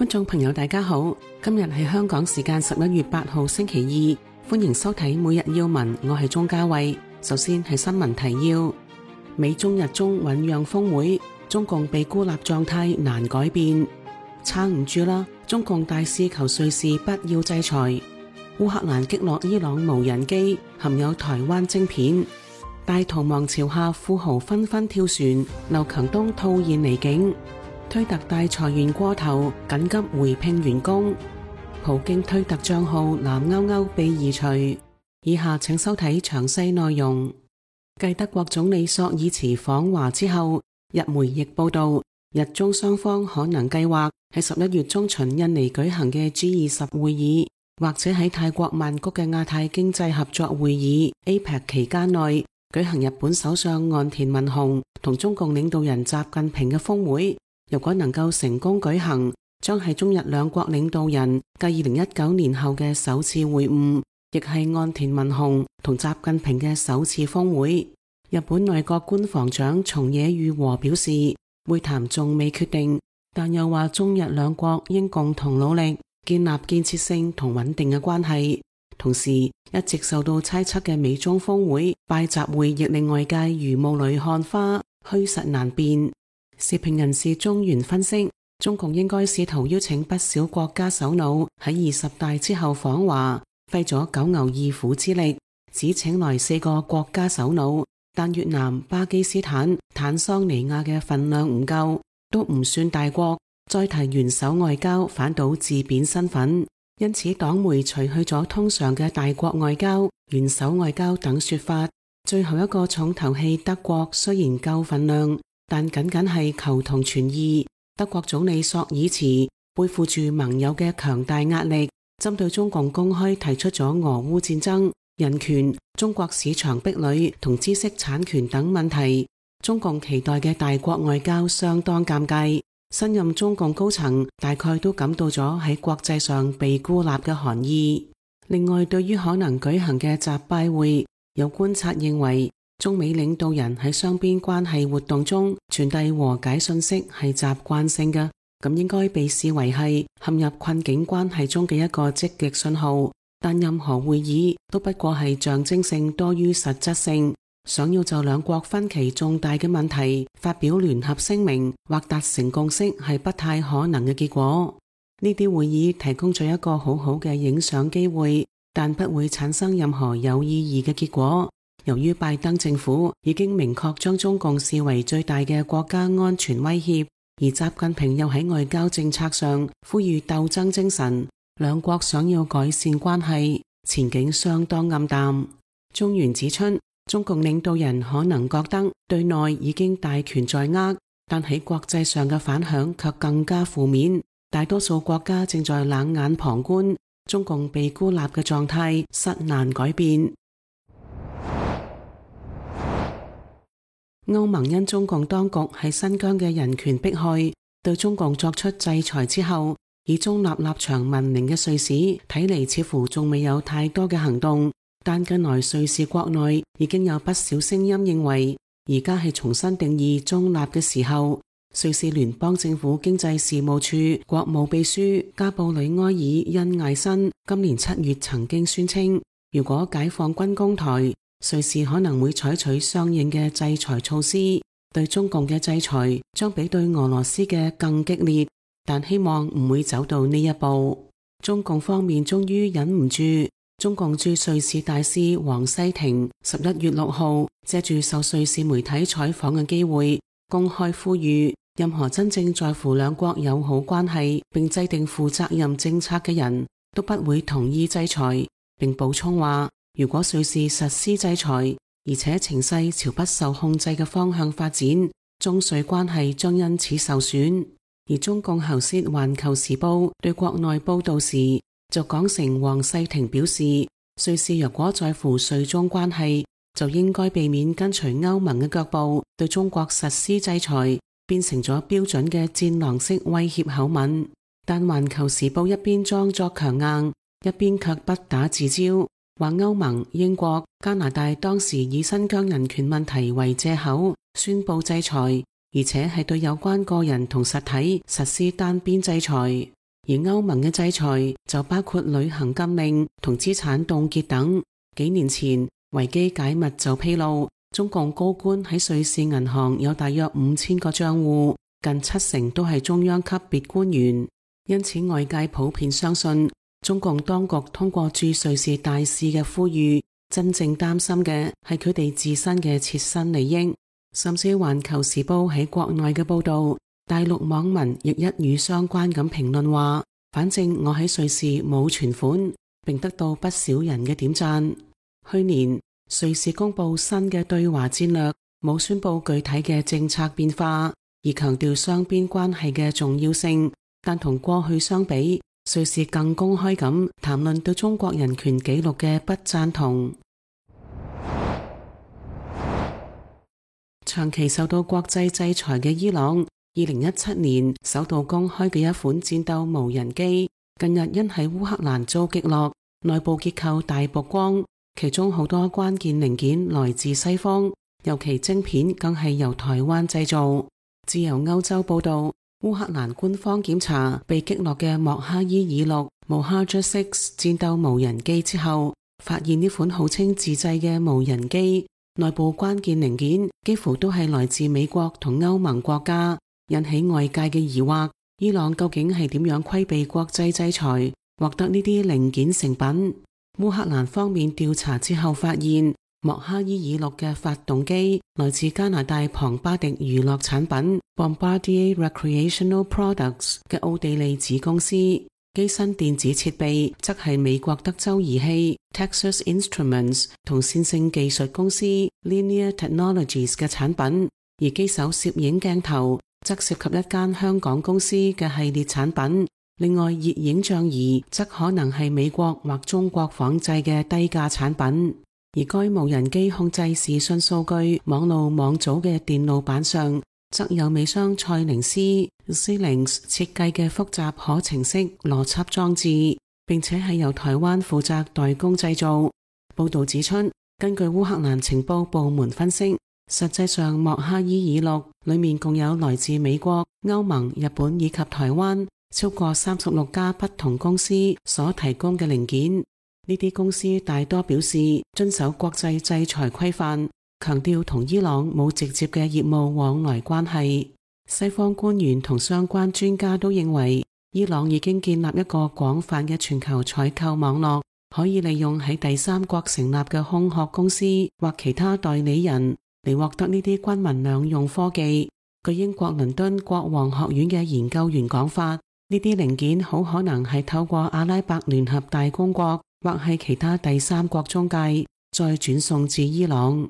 觀眾朋友大家好，今日係香港時間11月8號星期二，歡迎收睇每日要聞，我係鍾嘉慧。首先係新聞提要：美中日中醞釀峰會，中共被孤立狀態難改變，撐唔住啦！中共大使求瑞士不要制裁。烏克蘭擊落伊朗無人機，含有台灣晶片。大逃亡潮下，富豪紛紛跳船，劉強東套現離境。推特大裁員過頭，緊急回聘員工。普京推特賬號藍勾勾被移除。以下請收睇詳細內容。繼德國總理朔爾茨訪華之後，日媒亦報道，日中雙方可能計劃喺11月中旬印尼舉行嘅 G20 會議，或者喺泰國曼谷嘅亞太經濟合作會議 APEC 期間內舉行日本首相岸田文雄同中共領導人習近平嘅峰會。如果能夠成功舉行，將係中日兩國領導人繼2019年後嘅首次會晤，亦係岸田文雄同習近平嘅首次峰會。日本內閣官房長松野裕和表示，會談仲未決定，但又話中日兩國應共同努力建立建設性同穩定嘅關係。同時，一直受到猜測嘅美中峰會拜習會亦令外界如霧裏看花，虛實難辨。時評人士中原分析，中共應該試圖邀請不少國家首腦喺20大之後訪華，費咗九牛二虎之力，只請來4個國家首腦，但越南、巴基斯坦、坦桑尼亞嘅份量唔夠，都唔算大國，再提元首外交反倒自貶身份，因此黨媒除去咗通常嘅大國外交、元首外交等說法。最後一個重頭戲德國雖然夠份量，但僅僅係求同存異。德國總理朔爾茨背負住盟友嘅強大壓力，針對中共公開提出咗俄烏戰爭、人權、中國市場壁壘同知識產權等問題。中共期待嘅大國外交相當尷尬，新任中共高層大概都感到咗喺國際上被孤立嘅寒意。另外，對於可能舉行嘅習拜會，有觀察認為，中美領導人喺雙邊關係活動中傳遞和解信息係習慣性嘅，咁應該被視為係陷入困境關係中嘅一個積極信號。但任何會議都不過係象徵性多於實質性，想要就兩國分歧重大嘅問題發表聯合聲明或達成共識係不太可能嘅結果。呢啲會議提供咗一個好好嘅影相機會，但不會產生任何有意義嘅結果。由於拜登政府已經明確將中共視為最大嘅國家安全威脅，而習近平又喺外交政策上呼籲鬥爭精神，兩國想要改善關係，前景相當暗淡。中原指出，中共領導人可能覺得對內已經大權在握，但喺國際上嘅反響卻更加負面。大多數國家正在冷眼旁觀，中共被孤立嘅狀態實難改變。歐盟因中共當局喺新疆嘅人權迫害，對中共作出制裁之後，以中立立場聞名嘅瑞士睇嚟似乎仲未有太多嘅行動。但近來瑞士國內已經有不少聲音認為，而家係重新定義中立嘅時候。瑞士聯邦政府經濟事務處國務秘書加布里埃爾恩艾森今年7月曾經宣稱，如果解放軍攻台，瑞士可能會採取相應嘅制裁措施，對中共嘅制裁將比對俄羅斯嘅更激烈，但希望唔會走到呢一步。中共方面終於忍唔住，中共駐瑞士大使王西廷11月6號借住受瑞士媒體採訪嘅機會，公開呼籲任何真正在乎兩國友好關係並制定負責任政策嘅人都不會同意制裁，並補充話，如果瑞士實施制裁，而且情勢朝不受控制嘅方向發展，中瑞關係將因此受損。而中共喉舌《環球時報》對國內報道時就講成王世廷表示，瑞士若果在乎瑞中關係，就應該避免跟隨歐盟嘅腳步對中國實施制裁，變成咗標準嘅戰狼式威脅口吻。但《環球時報》一邊裝作強硬，一邊卻不打自招，話歐盟、英國、加拿大當時以新疆人權問題為借口宣布制裁，而且係對有關個人同實體實施單邊制裁。而歐盟嘅制裁就包括旅行禁令同資產凍結等。幾年前，維基解密就披露，中共高官喺瑞士銀行有大約5000個賬戶，近70%都係中央級別官員。因此外界普遍相信，中共當局通過駐瑞士大使嘅呼籲，真正擔心嘅係佢哋自身嘅切身利益。甚至環球時報喺國內嘅報道，大陸網民亦一語相關咁評論話，反正我喺瑞士冇存款，並得到不少人嘅點讚。去年瑞士公布新嘅對華戰略，冇宣布具體嘅政策變化，而強調雙邊關係嘅重要性，但同過去相比，瑞士更公開咁談論對中國人權紀錄嘅不贊同。長期受到國際制裁嘅伊朗，2017年首度公開嘅一款戰鬥無人機，近日因喺烏克蘭遭擊落，內部結構大曝光，其中好多關鍵零件來自西方，尤其晶片更係由台灣製造。自由歐洲報道，烏克蘭官方檢查被擊落嘅莫哈伊爾6 Mohajer-6 戰鬥無人機之後，發現呢款號稱自製嘅無人機內部關鍵零件幾乎都係來自美國同歐盟國家，引起外界嘅疑惑。伊朗究竟係點樣規避國際制裁，獲得呢啲零件成品？烏克蘭方面調查之後發現，莫哈伊爾6嘅發動機來自加拿大龐巴迪娛樂產品 Bombardier Recreational Products 嘅奧地利子公司，機身電子設備則係美國德州儀器 Texas Instruments 同線性技術公司 Linear Technologies 嘅產品，而機手攝影鏡頭則涉及一間香港公司嘅系列產品。另外，熱影像儀則可能係美國或中國仿製嘅低價產品。而該無人機控制視訊數據網路網組嘅電路板上，則有美商賽靈思 Xilinx 設計嘅複雜可程式邏輯裝置，並且係由台灣負責代工製造。報道指出，根據烏克蘭情報部門分析，實際上莫哈伊爾6裏面共有來自美國、歐盟、日本以及台灣超過36家不同公司所提供嘅零件。呢啲公司大多表示遵守國際制裁規範，強調同伊朗冇直接嘅業務往來關係。西方官員同相關專家都認為，伊朗已經建立一個廣泛嘅全球採購網絡，可以利用喺第三國成立嘅空殼公司或其他代理人嚟獲得呢啲軍民兩用科技。據英國倫敦國王學院嘅研究員講法，呢啲零件好可能係透過阿拉伯聯合大公國或係其他第三國中介，再轉送至伊朗。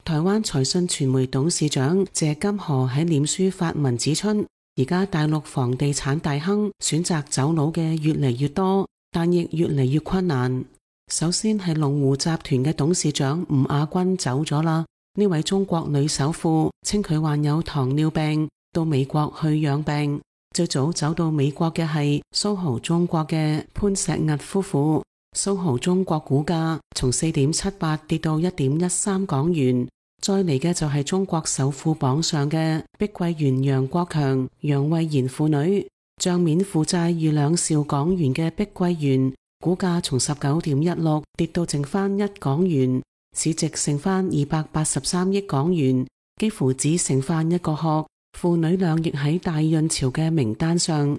台灣財訊傳媒董事長謝金河喺臉書發文指出，而家大陸房地產大亨選擇走佬嘅越嚟越多，但亦越嚟越困難。首先係龍湖集團嘅董事長吳亞軍走咗啦。呢位中國女首富稱佢患有糖尿病，到美國去養病。最早走到美國嘅係蘇豪中國嘅潘石屹夫婦，蘇豪中國股價從4.78跌到1.13港元。再嚟嘅就係中國首富榜上嘅碧桂園楊國強、楊惠妍父女，賬面負債逾2兆港元嘅碧桂園股價從19.16跌到剩翻1港元，市值剩翻283億港元，幾乎只剩翻一個殼。父女倆亦喺大潤潮嘅名單上。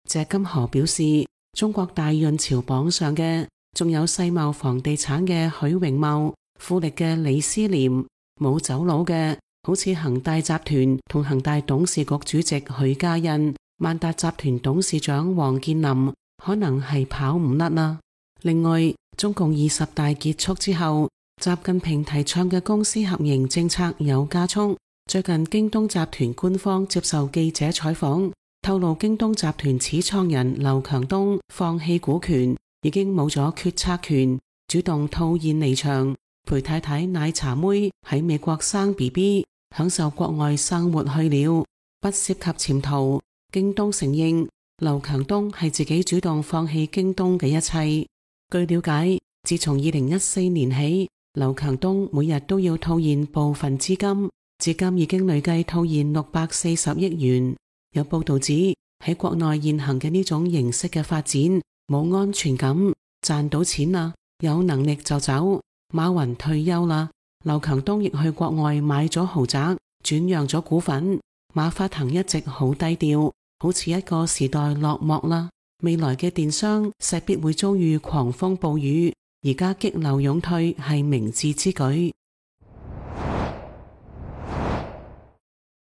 謝金河表示，中國大潤潮榜上嘅仲有世茂房地產嘅許榮茂、富力嘅李思廉，冇走佬嘅好似恒大集團同恒大董事局主席許家印、萬達集團董事長王健林，可能係跑唔甩啦。另外，中共20大結束之後，習近平提倡嘅公私合營政策有加速。最近京東集團官方接受記者採訪，透露京東集團始創人劉強東放棄股權，已經冇咗決策權，主動套現離場，陪太太奶茶妹喺美國生 BB， 享受國外生活去了，不涉及潛逃。京東承認劉強東係自己主動放棄京東嘅一切。據了解，自從2014年起，劉強東每日都要套現部分資金，至今已經累計套現640億元。有報道指，喺國內現行嘅呢種形式嘅發展冇安全感，賺到錢啦，有能力就走。馬雲退休啦，劉強東亦去國外買咗豪宅，轉讓咗股份。馬化騰一直好低調，好似一個時代落幕啦。未來嘅電商勢必會遭遇狂風暴雨，而家激流勇退係明智之舉。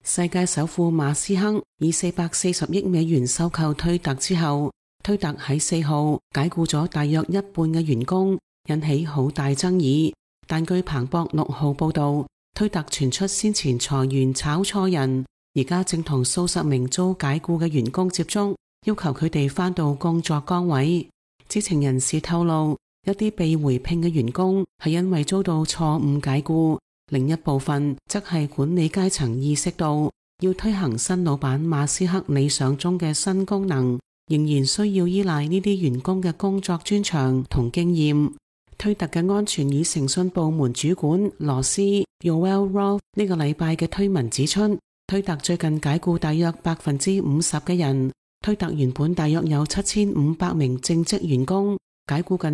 世界首富馬斯克以440億美元收購推特之後，推特喺4號解僱咗大約一半嘅員工，引起好大爭議。但據彭博6號報道，推特傳出先前裁員炒錯人，而家正同數十名遭解僱嘅員工接觸，要求佢哋返到工作崗位。知情人士透露，一啲被回聘嘅員工係因為遭到錯誤解僱，另一部分則係管理階層意識到要推行新老闆馬斯克理想中嘅新功能，仍然需要依賴呢啲員工嘅工作專長同經驗。推特嘅安全與誠信部門主管羅斯 Yoel Roth 呢個禮拜嘅推文指出，推特最近解僱大約50%嘅人。推特原本大約有7500名正職員工，解僱近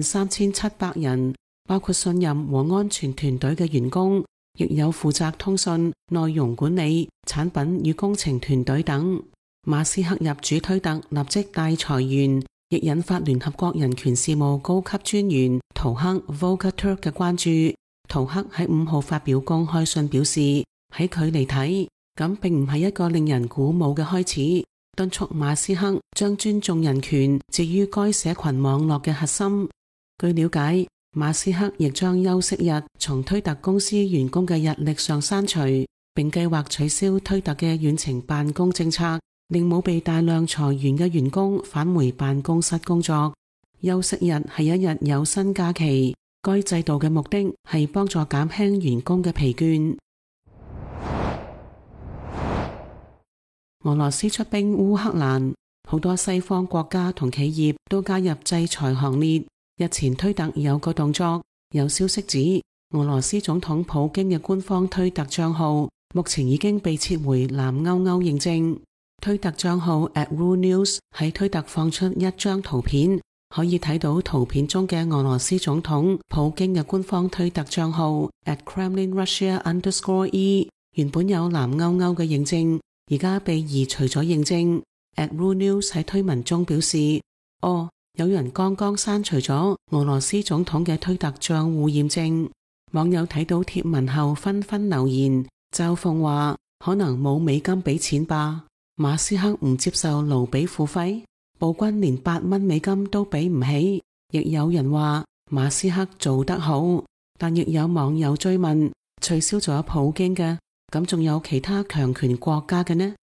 3700人，包括信任和安全團隊嘅員工，亦有負責通訊、內容管理、產品與工程團隊等。馬斯克入主推特立即大裁員，亦引發聯合國人權事務高級專員圖克 Volker Turk 嘅關注。圖克喺5號發表公開信表示，喺佢嚟睇，咁並唔係一個令人鼓舞嘅開始，敦促馬斯克將尊重人權置於該社群網絡嘅核心。據了解，馬斯克亦將休息日從推特公司員工嘅日曆上刪除，並計劃取消推特嘅遠程辦公政策，令冇被大量裁員嘅員工返回辦公室工作。休息日係一日有薪假期，該制度嘅目的係幫助減輕員工嘅疲倦。俄羅斯出兵烏克蘭，好多西方國家同企業都加入制裁行列。日前推特有個動作，有消息指俄羅斯總統普京嘅官方推特賬號目前已經被撤回藍勾勾認證。推特賬號 @RuNews 喺推特放出一張圖片，可以睇到圖片中嘅俄羅斯總統普京嘅官方推特賬號 @KremlinRussia_E 原本有藍勾勾嘅認證，而家被移除咗認證。@RuNews 喺推文中表示，有人剛剛刪除咗俄羅斯總統嘅推特賬戶驗證。網友睇到貼文後紛紛留言，嘲諷話可能冇美金俾錢吧，馬斯克唔接受盧比付費，暴君連8蚊美金都俾唔起。亦有人話馬斯克做得好，但亦有網友追問，取消咗普京嘅，咁仲有其他強權國家嘅呢？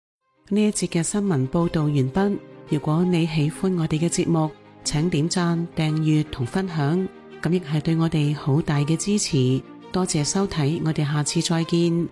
呢一節嘅新聞報道完畢。如果你喜歡我哋嘅節目，請點讚、訂閱同分享，咁亦係對我哋好大嘅支持。多謝收睇，我哋下次再見。